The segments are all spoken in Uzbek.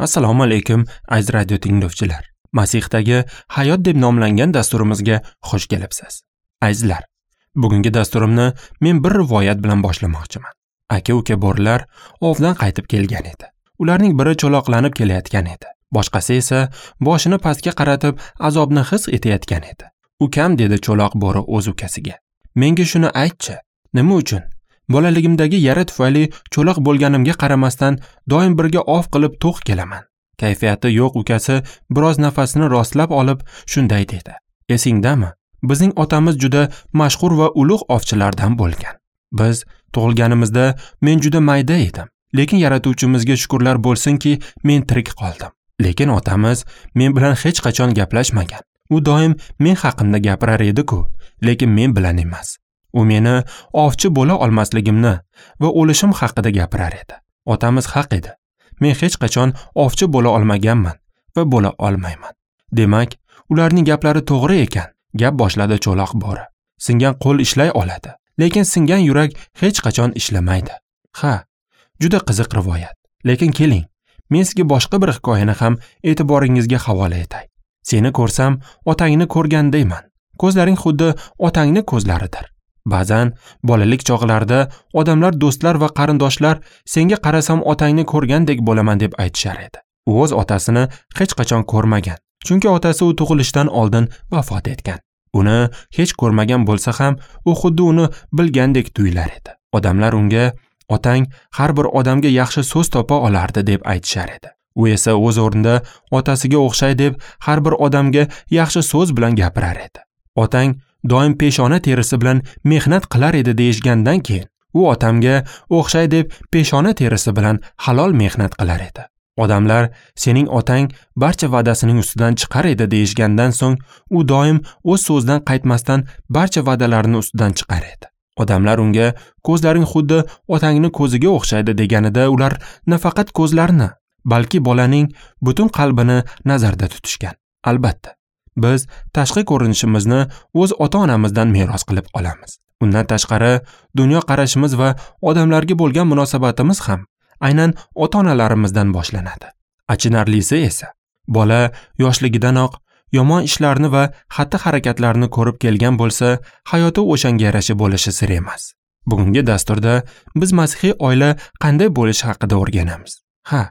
Assalomu alaykum, aziz radio tinglovchilar. Masihdagi hayot deb nomlangan dasturimizga xush kelibsiz. Azizlar, bugungi dasturimni men bir rivoyat bilan boshlamoqchiman. Aka-uka bo'rilar ovdan qaytib kelgan edi. Ularning biri cho'loqlanib kelayotgan edi. Boshqasi esa boshini pastga qaratib azobni his etayotgan edi. "Ukam", dedi cho'loq bo'ri o'z ukasiga. "Menga shuni aytchi, nima uchun bolaligimdagi yara tufayli cho'loq bo'lganimga qaramasdan doim birga ov qilib to'q kelaman?" Kayfiyati yo'q ukasi biroz nafasini rostlab olib shunday dedi: "Esingdami? Bizning otamiz juda mashhur va ulug' ovchilardan bo'lgan. Biz tug'ilganimizda men juda mayda edim, lekin yaratuvchimizga shukrlar bo'lsinki, men tirik qoldim. Lekin otamiz men bilan hech qachon gaplashmagan. U doim men haqimda gapirar edi-ku, lekin men bilan emas. U meni ovchi bo'la olmasligimni va o'lishim haqida gapirar edi. Otamiz haq edi. Men hech qachon ovchi bo'la olmaganman va bo'la olmayman. Demak, ularning gaplari to'g'ri ekan", gap boshladi cho'loq bo'ri. "Singan qo'l ishlay oladi, lekin singan yurak hech qachon ishlamaydi." Ha, juda qiziq rivoyat. Lekin keling, men sizga boshqa bir hikoyani ham e'tiboringizga havola etay. Seni ko'rsam, otangni ko'rgandayman. Ko'zlaring xuddi otangni ko'zlaridir. Ba'zan bolalik chog'larida odamlar, do'stlar va qarindoshlar senga qarasam otangni ko'rgandek bo'laman deb aytishar edi. U o'z otasini hech qachon ko'rmagan, chunki otasi u tug'ilishidan oldin vafot etgan. Uni hech ko'rmagan bo'lsa ham, u xuddi uni bilgandek tuyular edi. Odamlar unga "Otang har bir odamga yaxshi so'z topa olardi" deb aytishar edi. U esa o'z o'rnida otasiga o'xshay deb har bir odamga yaxshi so'z bilan gapirar edi. "Otang doim peshona terisi bilan mehnat qilar edi" deyishgandan keyin u otamga o'xshay deb peshona terisi bilan halol mehnat qilar edi. Odamlar "Sening otang barcha va'dasining ustidan chiqar edi" deyishgandan so'ng u doim o'z so'zidan qaytmasdan barcha va'dalarini ustidan chiqar edi. Odamlar unga "Ko'zlaring xuddi otangni ko'ziga o'xshaydi" deganida ular nafaqat ko'zlarini, balki bolaning butun qalbini nazarda tutishgan. Albatta, biz tashqi ko'rinishimizni o'z ota-onamizdan meros qilib olamiz. Undan tashqari, dunyo qarashimiz va odamlarga bo'lgan munosabatimiz ham aynan ota-onalarimizdan boshlanadi. Achinarlisi esa, bola yoshligidanoq yomon ishlarni va xatti-harakatlarni ko'rib kelgan bo'lsa, hayoti o'shanga yarasha bo'lishi sir emas. Bugungi dasturda biz masihiy oila qanday bo'lishi haqida o'rganamiz. Ha,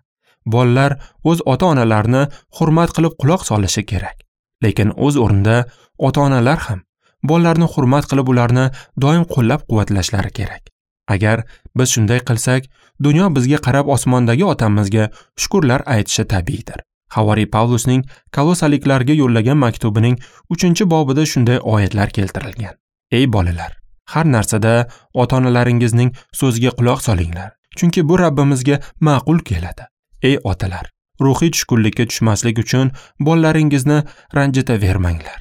bolalar o'z ota-onalarini hurmat qilib quloq solishi kerak. Lekin o'z o'rnida ota-onalar ham bolalarni hurmat qilib ularni doim qo'llab-quvvatlashlari kerak. Agar biz shunday qilsak, dunyo bizga qarab osmondagi otamizga shukrlar aytishi tabiiydir. Havoriy Pavlusning Kolosaliklarga yo'llagan maktubining 3-bobida shunday oyatlar keltirilgan. Ey bolalar, har narsada ota-onalaringizning so'ziga quloq solinglar, chunki bu Rabbimizga ma'qul keladi. Ey otalar, ruhiy tushkunlikka tushmaslik uchun bolalaringizni ranjitavermanglar.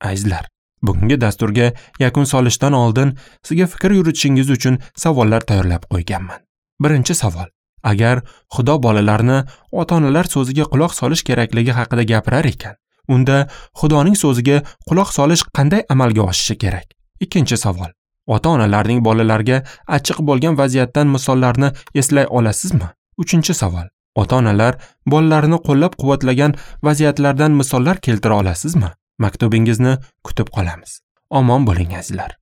Azizlar, bugungi dasturga yakun solishdan oldin sizga fikr yuritishingiz uchun savollar tayyorlab qo'yganman. Birinchi savol: agar Xudo bolalarni ota-onalar so'ziga quloq solish kerakligi haqida gapirar ekan, unda Xudoning so'ziga quloq solish qanday amalga oshishi kerak? Ikkinchi savol: ota-onalarning bolalarga achchiq bo'lgan vaziyatdan misollarni eslay olasizmi? Uchinchi savol: ota-onalar bolalarini qo'llab-quvvatlagan vaziyatlardan misollar keltira olasizmi? Maktubingizni kutib qolamiz. Omon bo'ling azizlar.